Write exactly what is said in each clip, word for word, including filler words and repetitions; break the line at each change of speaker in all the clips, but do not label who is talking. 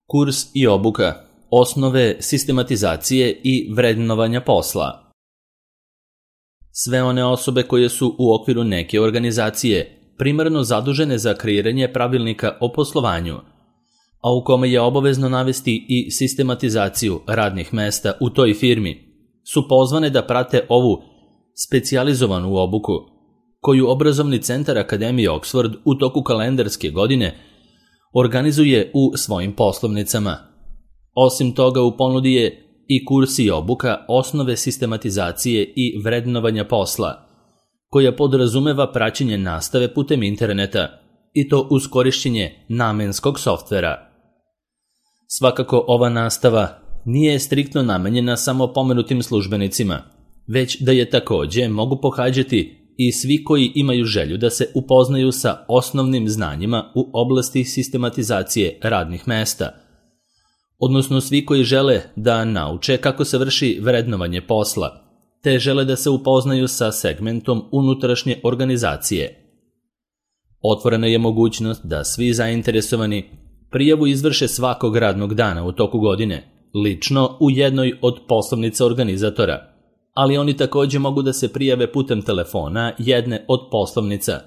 Kurs i obuka, osnove sistematizacije i vrednovanja posla. Sve one osobe koje su u okviru neke organizacije primarno zadužene za kreiranje pravilnika o poslovanju, a u kome je obavezno navesti i sistematizaciju radnih mesta u toj firmi, su pozvane da prate ovu specijalizovanu obuku, koju obrazovni centar Akademije Oxford u toku kalendarske godine organizuje u svojim poslovnicama. Osim toga, u ponudi je i kurs i obuka osnove sistematizacije i vrednovanja posla, koja podrazumeva praćenje nastave putem interneta, i to uz korišćenje namenskog softvera. Svakako, ova nastava nije striktno namenjena samo pomenutim službenicima, već da je takođe mogu pohađati i svi koji imaju želju da se upoznaju sa osnovnim znanjima u oblasti sistematizacije radnih mesta, odnosno svi koji žele da nauče kako se vrši vrednovanje posla, te žele da se upoznaju sa segmentom unutrašnje organizacije. Otvorena je mogućnost da svi zainteresovani prijavu izvrše svakog radnog dana u toku godine, lično u jednoj od poslovnica organizatora, ali oni takođe mogu da se prijave putem telefona jedne od poslovnica,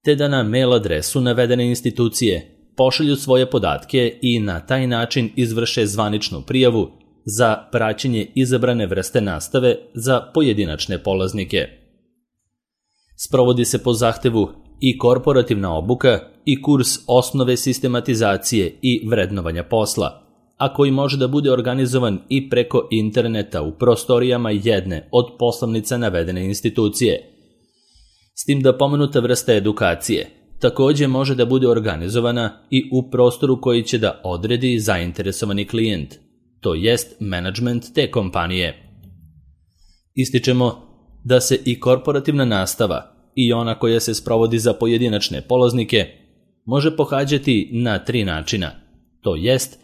te da na mail adresu navedene institucije pošalju svoje podatke i na taj način izvrše zvaničnu prijavu za praćenje izabrane vrste nastave za pojedinačne polaznike. Sprovodi se po zahtevu i korporativna obuka i kurs osnove sistematizacije i vrednovanja posla, a koji može da bude organizovan i preko interneta u prostorijama jedne od poslovnica navedene institucije. S tim da pomenuta vrsta edukacije takođe može da bude organizovana i u prostoru koji će da odredi zainteresovani klijent, to jest menadžment te kompanije. Ističemo da se i korporativna nastava i ona koja se sprovodi za pojedinačne polaznike može pohađati na tri načina, to jest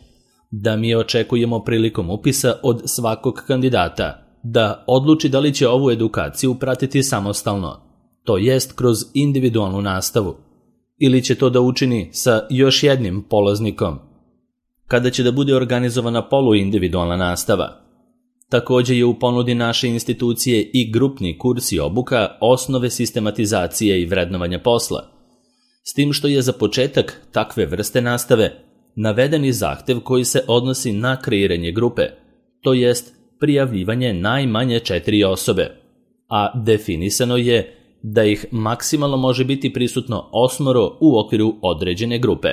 da mi očekujemo prilikom upisa od svakog kandidata da odluči da li će ovu edukaciju pratiti samostalno, to jest kroz individualnu nastavu, ili će to da učini sa još jednim polaznikom, kada će da bude organizovana poluindividualna nastava. Takođe je u ponudi naše institucije i grupni kurs i obuka osnove sistematizacije i vrednovanja posla, s tim što je za početak takve vrste nastave navedeni zahtev koji se odnosi na kreiranje grupe, to jest prijavljivanje najmanje četiri osobe, a definisano je da ih maksimalno može biti prisutno osmoro u okviru određene grupe.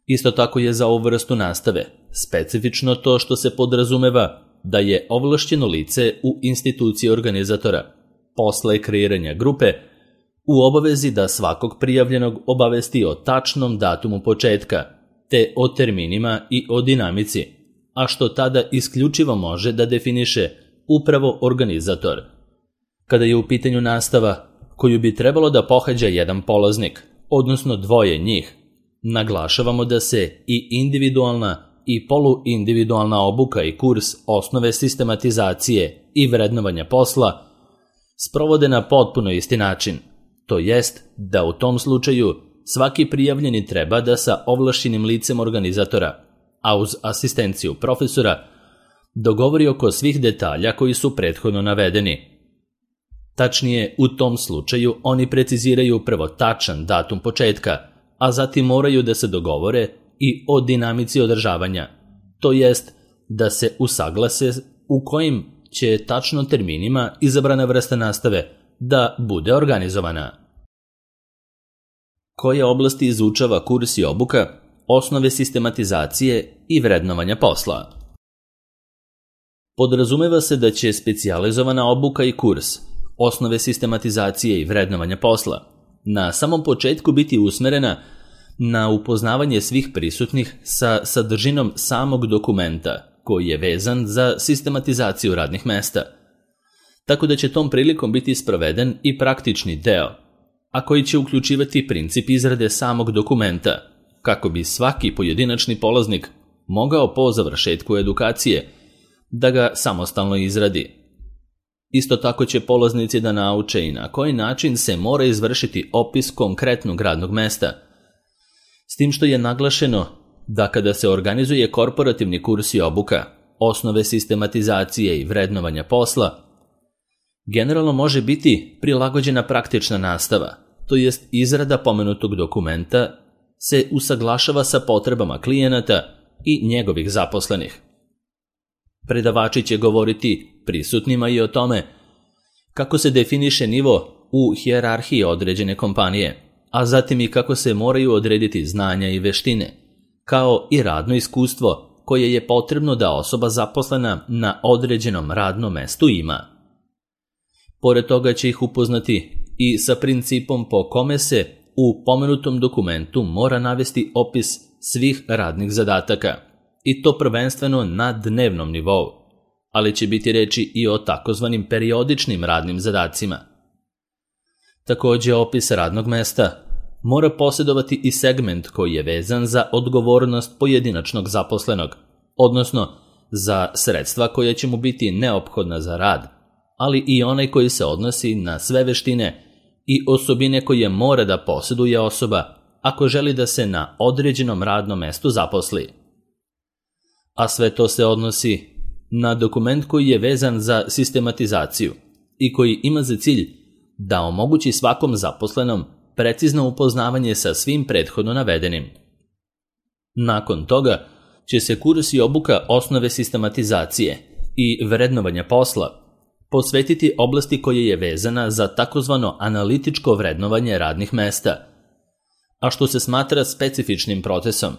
Isto tako je za ovu vrstu nastave specifično to što se podrazumeva da je ovlašćeno lice u instituciji organizatora posle kreiranja grupe u obavezi da svakog prijavljenog obavesti o tačnom datumu početka, te o terminima i o dinamici, a što tada isključivo može da definiše upravo organizator. Kada je u pitanju nastava koju bi trebalo da pohađa jedan polaznik, odnosno dvoje njih, naglašavamo da se i individualna i poluindividualna obuka i kurs osnove sistematizacije i vrednovanja posla sprovode na potpuno isti način, to jest da u tom slučaju svaki prijavljeni treba da sa ovlašćenim licem organizatora, a uz asistenciju profesora, dogovori oko svih detalja koji su prethodno navedeni. Tačnije, u tom slučaju oni preciziraju prvo tačan datum početka, a zatim moraju da se dogovore i o dinamici održavanja, to jest da se usaglase u kojim će tačno terminima izabrana vrsta nastave da bude organizovana. Koje oblasti izučava kurs i obuka osnove sistematizacije i vrednovanja posla? Podrazumeva se da će specijalizovana obuka i kurs osnove sistematizacije i vrednovanja posla na samom početku biti usmerena na upoznavanje svih prisutnih sa sadržinom samog dokumenta koji je vezan za sistematizaciju radnih mesta, tako da će tom prilikom biti sproveden i praktični deo, a koji će uključivati princip izrade samog dokumenta, kako bi svaki pojedinačni polaznik mogao po završetku edukacije da ga samostalno izradi. Isto tako će polaznici da nauče i na koji način se mora izvršiti opis konkretnog radnog mesta, s tim što je naglašeno da kada se organizuje korporativni kurs i obuka, osnove sistematizacije i vrednovanja posla, generalno može biti prilagođena praktična nastava, to jest izrada pomenutog dokumenta se usaglašava sa potrebama klijenata i njegovih zaposlenih. Predavači će govoriti prisutnima i o tome kako se definiše nivo u hijerarhiji određene kompanije, a zatim i kako se moraju odrediti znanja i veštine, kao i radno iskustvo koje je potrebno da osoba zaposlena na određenom radnom mestu ima. Pored toga će ih upoznati i sa principom po kome se u pomenutom dokumentu mora navesti opis svih radnih zadataka, i to prvenstveno na dnevnom nivou, ali će biti reči i o takozvanim periodičnim radnim zadacima. Također, opis radnog mesta mora posjedovati i segment koji je vezan za odgovornost pojedinačnog zaposlenog, odnosno za sredstva koja će mu biti neophodna za rad, ali i onaj koji se odnosi na sve veštine i osobine koje mora da posjeduje osoba ako želi da se na određenom radnom mestu zaposli. A sve to se odnosi na dokument koji je vezan za sistematizaciju i koji ima za cilj da omogući svakom zaposlenom precizno upoznavanje sa svim prethodno navedenim. Nakon toga će se kurs i obuka osnove sistematizacije i vrednovanja posla posvetiti oblasti koja je vezana za takozvano analitičko vrednovanje radnih mesta, a što se smatra specifičnim procesom,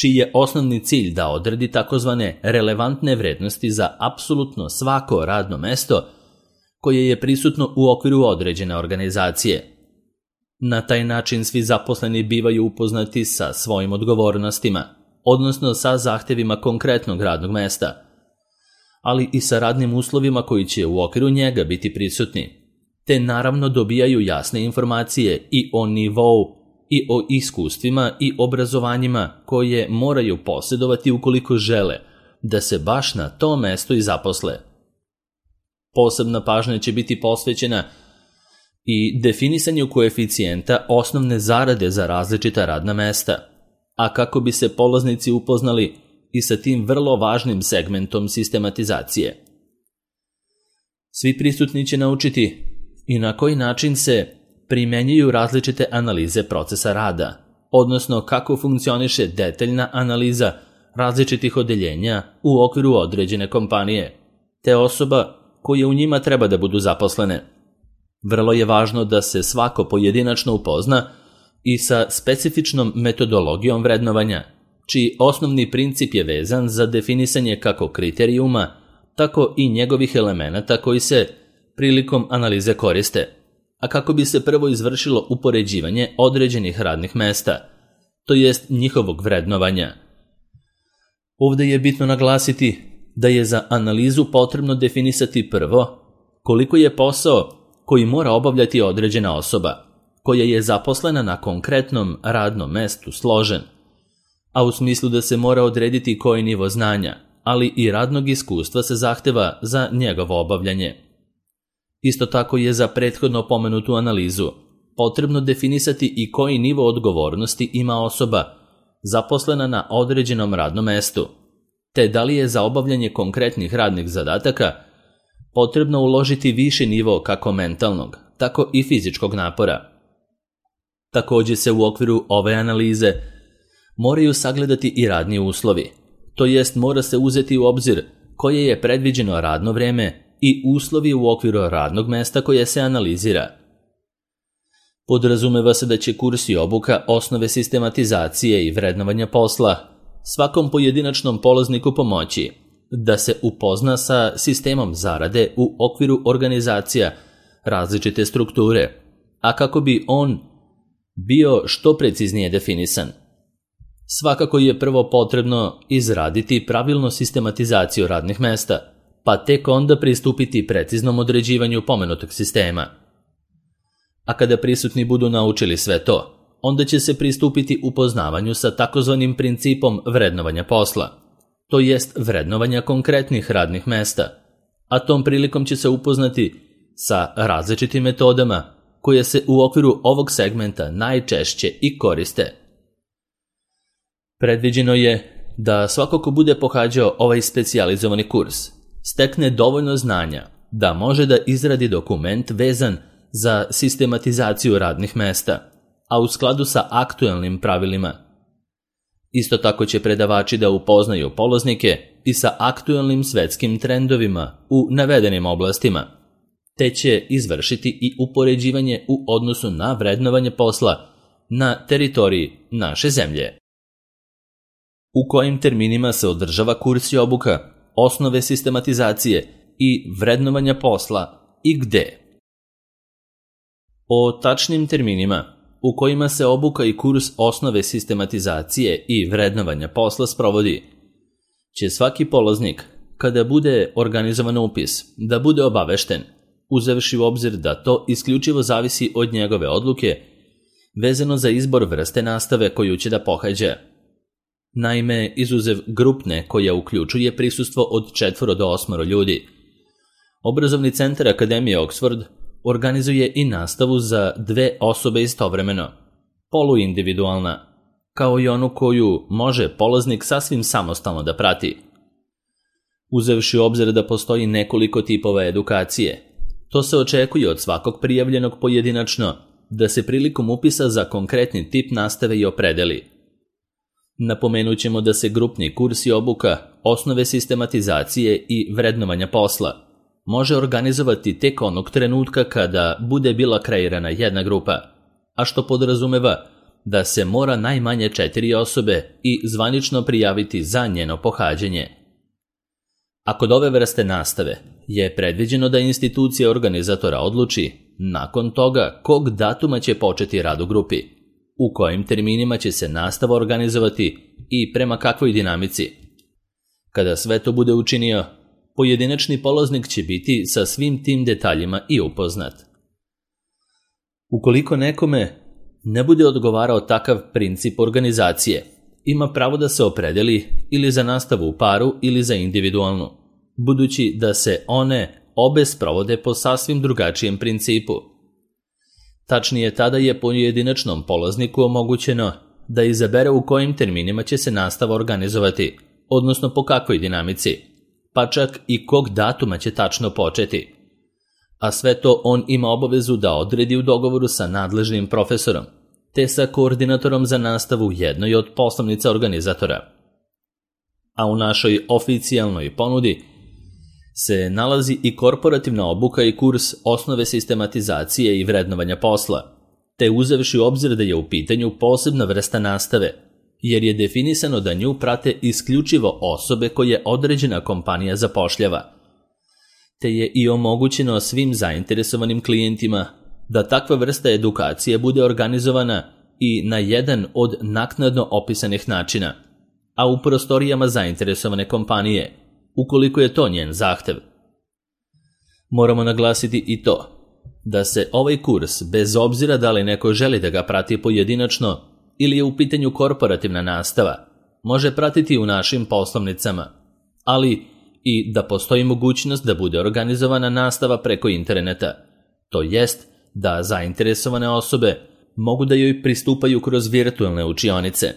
čiji je osnovni cilj da odredi takozvane relevantne vrednosti za apsolutno svako radno mesto koje je prisutno u okviru određene organizacije. Na taj način svi zaposleni bivaju upoznati sa svojim odgovornostima, odnosno sa zahtjevima konkretnog radnog mesta, ali i sa radnim uslovima koji će u okviru njega biti prisutni, te naravno dobijaju jasne informacije i o nivou i o iskustvima i obrazovanjima koje moraju posjedovati ukoliko žele da se baš na to mesto i zaposle. Posebna pažnja će biti posvećena i definisanju koeficijenta osnovne zarade za različita radna mesta, a kako bi se polaznici upoznali i sa tim vrlo važnim segmentom sistematizacije. Svi prisutni će naučiti i na koji način se primenjuju različite analize procesa rada, odnosno kako funkcioniše detaljna analiza različitih odeljenja u okviru određene kompanije, te osoba koje u njima treba da budu zaposlene. Vrlo je važno da se svako pojedinačno upozna i sa specifičnom metodologijom vrednovanja, čiji osnovni princip je vezan za definisanje kako kriterijuma, tako i njegovih elemenata koji se prilikom analize koriste, a kako bi se prvo izvršilo upoređivanje određenih radnih mesta, to jest njihovog vrednovanja. Ovdje je bitno naglasiti da je za analizu potrebno definisati prvo koliko je posao koji mora obavljati određena osoba, koja je zaposlena na konkretnom radnom mestu složen, a u smislu da se mora odrediti koji nivo znanja, ali i radnog iskustva se zahteva za njegovo obavljanje. Isto tako je za prethodno pomenutu analizu potrebno definisati i koji nivo odgovornosti ima osoba zaposlena na određenom radnom mestu, te da li je za obavljanje konkretnih radnih zadataka potrebno uložiti viši nivo kako mentalnog, tako i fizičkog napora. Također se u okviru ove analize moraju sagledati i radni uslovi, to jest mora se uzeti u obzir koje je predviđeno radno vrijeme i uslovi u okviru radnog mesta koje se analizira. Podrazumeva se da će kurs i obuka osnove sistematizacije i vrednovanja posla svakom pojedinačnom polazniku pomoći da se upozna sa sistemom zarade u okviru organizacija različite strukture, a kako bi on bio što preciznije definisan. Svakako je prvo potrebno izraditi pravilnu sistematizaciju radnih mesta, pa tek onda pristupiti preciznom određivanju pomenutog sistema. A kada prisutni budu naučili sve to, onda će se pristupiti upoznavanju sa takozvanim principom vrednovanja posla, to jest vrednovanja konkretnih radnih mesta, a tom prilikom će se upoznati sa različitim metodama koje se u okviru ovog segmenta najčešće i koriste. Predviđeno je da svako ko bude pohađao ovaj specijalizovani kurs stekne dovoljno znanja da može da izradi dokument vezan za sistematizaciju radnih mesta, a u skladu sa aktuelnim pravilima. Isto tako će predavači da upoznaju polaznike i sa aktuelnim svetskim trendovima u navedenim oblastima, te će izvršiti i upoređivanje u odnosu na vrednovanje posla na teritoriji naše zemlje. U kojim terminima se održava kurs i obuka, osnove sistematizacije i vrednovanja posla i gde? O tačnim terminima u kojima se obuka i kurs osnove sistematizacije i vrednovanja posla sprovodi će svaki polaznik, kada bude organizovan upis, da bude obavešten, uzevši u obzir da to isključivo zavisi od njegove odluke vezano za izbor vrste nastave koju će da pohađa. Naime, izuzev grupne koja uključuje prisustvo od četvoro do osmoro ljudi, Obrazovni centar Akademije Oxford organizuje i nastavu za dve osobe istovremeno, poluindividualna, kao i onu koju može polaznik sasvim samostalno da prati. Uzevši u obzir da postoji nekoliko tipova edukacije, to se očekuje od svakog prijavljenog pojedinačno da se prilikom upisa za konkretni tip nastave i opredeli. Napomenut ćemo da se grupni kurs i obuka, osnove sistematizacije i vrednovanja posla može organizovati tek onog trenutka kada bude bila kreirana jedna grupa, a što podrazumeva da se mora najmanje četiri osobe i zvanično prijaviti za njeno pohađanje. A kod ove vrste nastave je predviđeno da institucija organizatora odluči nakon toga kog datuma će početi rad u grupi, u kojim terminima će se nastava organizovati i prema kakvoj dinamici. Kada sve to bude učinio, pojedinačni polaznik će biti sa svim tim detaljima i upoznat. Ukoliko nekome ne bude odgovarao takav princip organizacije, ima pravo da se opredeli ili za nastavu u paru ili za individualnu, budući da se one obe sprovode po sasvim drugačijem principu. Tačnije, tada je pojedinačnom polazniku omogućeno da izabere u kojim terminima će se nastava organizovati, odnosno po kakvoj dinamici, pa čak i kog datuma će tačno početi. A sve to on ima obavezu da odredi u dogovoru sa nadležnim profesorom, te sa koordinatorom za nastavu jednoj od poslovnica organizatora. A u našoj oficijalnoj ponudi se nalazi i korporativna obuka i kurs osnove sistematizacije i vrednovanja posla, te uzevši u obzir da je u pitanju posebna vrsta nastave, jer je definisano da nju prate isključivo osobe koje određena kompanija zapošljava, te je i omogućeno svim zainteresovanim klijentima da takva vrsta edukacije bude organizovana i na jedan od naknadno opisanih načina, a u prostorijama zainteresovane kompanije, ukoliko je to njen zahtev. Moramo naglasiti i to da se ovaj kurs, bez obzira da li neko želi da ga prati pojedinačno ili je u pitanju korporativna nastava, može pratiti u našim poslovnicama, ali i da postoji mogućnost da bude organizovana nastava preko interneta, to jest da zainteresovane osobe mogu da joj pristupaju kroz virtualne učionice,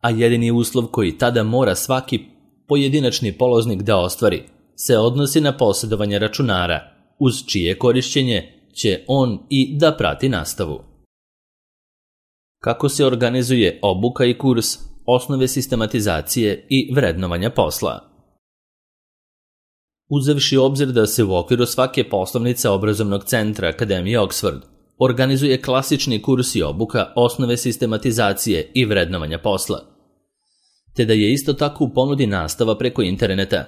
a jedini uslov koji tada mora svaki pojedinačni polaznik da ostvari se odnosi na posjedovanje računara, uz čije korišćenje će on i da prati nastavu. Kako se organizuje obuka i kurs osnove sistematizacije i vrednovanja posla? Uzevši obzir da se u okviru svake poslovnice Obrazovnog centra Akademije Oxford organizuje klasični kurs i obuka osnove sistematizacije i vrednovanja posla, te da je isto tako u ponudi nastava preko interneta,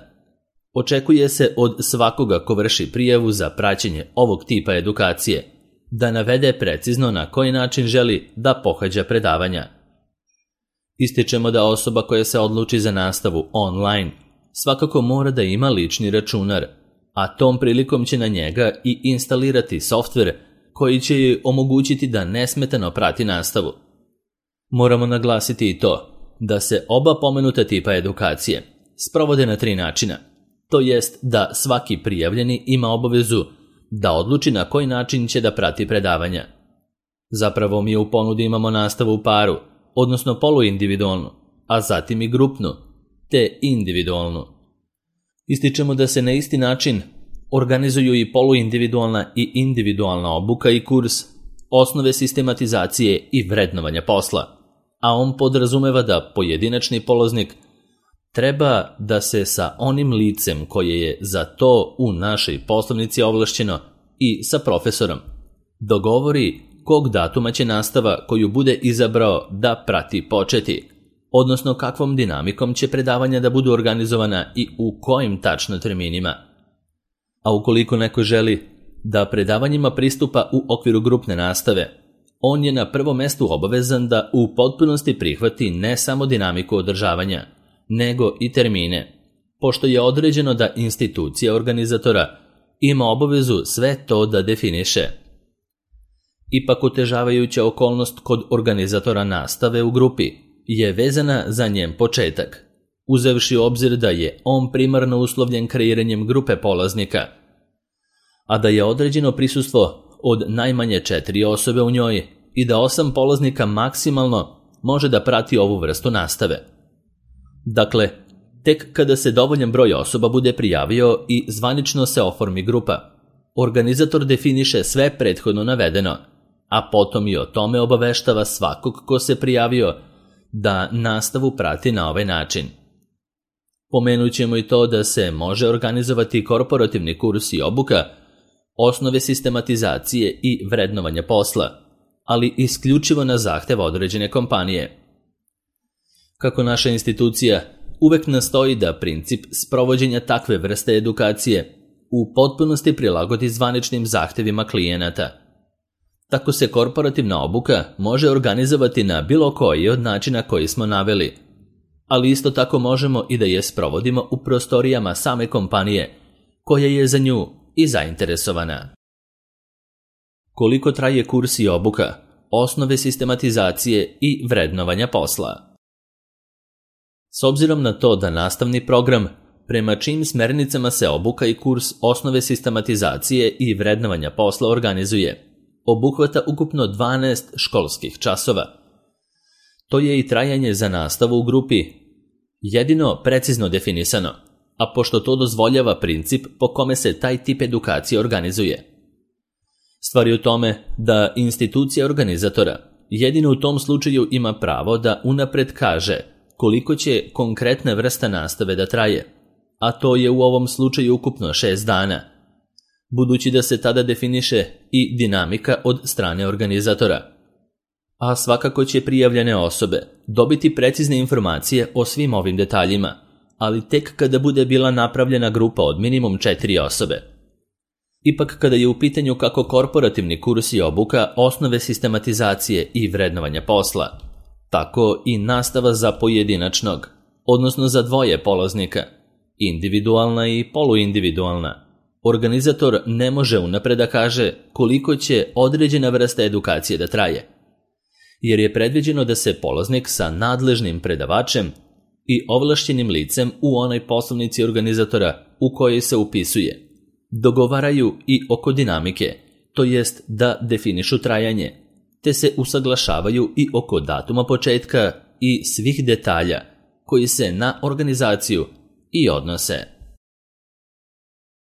očekuje se od svakoga ko vrši prijavu za praćenje ovog tipa edukacije da navede precizno na koji način želi da pohađa predavanja. Ističemo da osoba koja se odluči za nastavu online svakako mora da ima lični računar, a tom prilikom će na njega i instalirati softver koji će joj omogućiti da nesmetano prati nastavu. Moramo naglasiti i to da se oba pomenuta tipa edukacije sprovode na tri načina, to jest da svaki prijavljeni ima obavezu da odluči na koji način će da prati predavanja. Zapravo mi u ponudi imamo nastavu u paru, odnosno poluindividualnu, a zatim i grupnu, te individualnu. Ističemo da se na isti način organizuju i poluindividualna i individualna obuka i kurs osnove sistematizacije i vrednovanja posla, a on podrazumeva da pojedinačni polaznik treba da se sa onim licem koje je za to u našoj poslovnici ovlašćeno i sa profesorom dogovori kog datuma će nastava koju bude izabrao da prati početi, odnosno kakvom dinamikom će predavanja da budu organizovana i u kojim tačno terminima. A ukoliko neko želi da predavanjima pristupa u okviru grupne nastave, on je na prvom mestu obavezan da u potpunosti prihvati ne samo dinamiku održavanja, nego i termine, pošto je određeno da institucija organizatora ima obavezu sve to da definiše. Ipak otežavajuća okolnost kod organizatora nastave u grupi je vezana za njen početak, uzevši u obzir da je on primarno uslovljen kreiranjem grupe polaznika, a da je određeno prisustvo od najmanje četiri osobe u njoj i da osam polaznika maksimalno može da prati ovu vrstu nastave. Dakle, tek kada se dovoljan broj osoba bude prijavio i zvanično se oformi grupa, organizator definiše sve prethodno navedeno, a potom i o tome obaveštava svakog ko se prijavio da nastavu prati na ovaj način. Pomenut ćemo i to da se može organizovati korporativni kurs i obuka, osnove sistematizacije i vrednovanja posla, ali isključivo na zahtev određene kompanije. Kako naša institucija uvek nastoji da princip sprovođenja takve vrste edukacije u potpunosti prilagodi zvaničnim zahtevima klijenata, tako se korporativna obuka može organizovati na bilo koji od načina koji smo naveli, ali isto tako možemo i da je sprovodimo u prostorijama same kompanije koja je za nju i zainteresovana. Koliko traje kurs i obuka, osnove sistematizacije i vrednovanja posla? S obzirom na to da nastavni program, prema čijim smernicama se obuka i kurs osnove sistematizacije i vrednovanja posla organizuje, obuhvata ukupno dvanaest školskih časova. To je i trajanje za nastavu u grupi jedino precizno definisano, a pošto to dozvoljava princip po kome se taj tip edukacije organizuje. Stvar je u tome da institucija organizatora jedino u tom slučaju ima pravo da unapred kaže koliko će konkretna vrsta nastave da traje, a to je u ovom slučaju ukupno šest dana, budući da se tada definiše i dinamika od strane organizatora. A svakako će prijavljene osobe dobiti precizne informacije o svim ovim detaljima, ali tek kada bude bila napravljena grupa od minimum četiri osobe. Ipak kada je u pitanju kako korporativni kurs i obuka osnove sistematizacije i vrednovanja posla, tako i nastava za pojedinačnog, odnosno za dvoje polaznika, individualna i poluindividualna, organizator ne može unapred da kaže koliko će određena vrsta edukacije da traje, jer je predviđeno da se polaznik sa nadležnim predavačem i ovlašćenim licem u onoj poslovnici organizatora u kojoj se upisuje dogovaraju i oko dinamike, to jest da definišu trajanje, te se usaglašavaju i oko datuma početka i svih detalja koji se na organizaciju i odnose.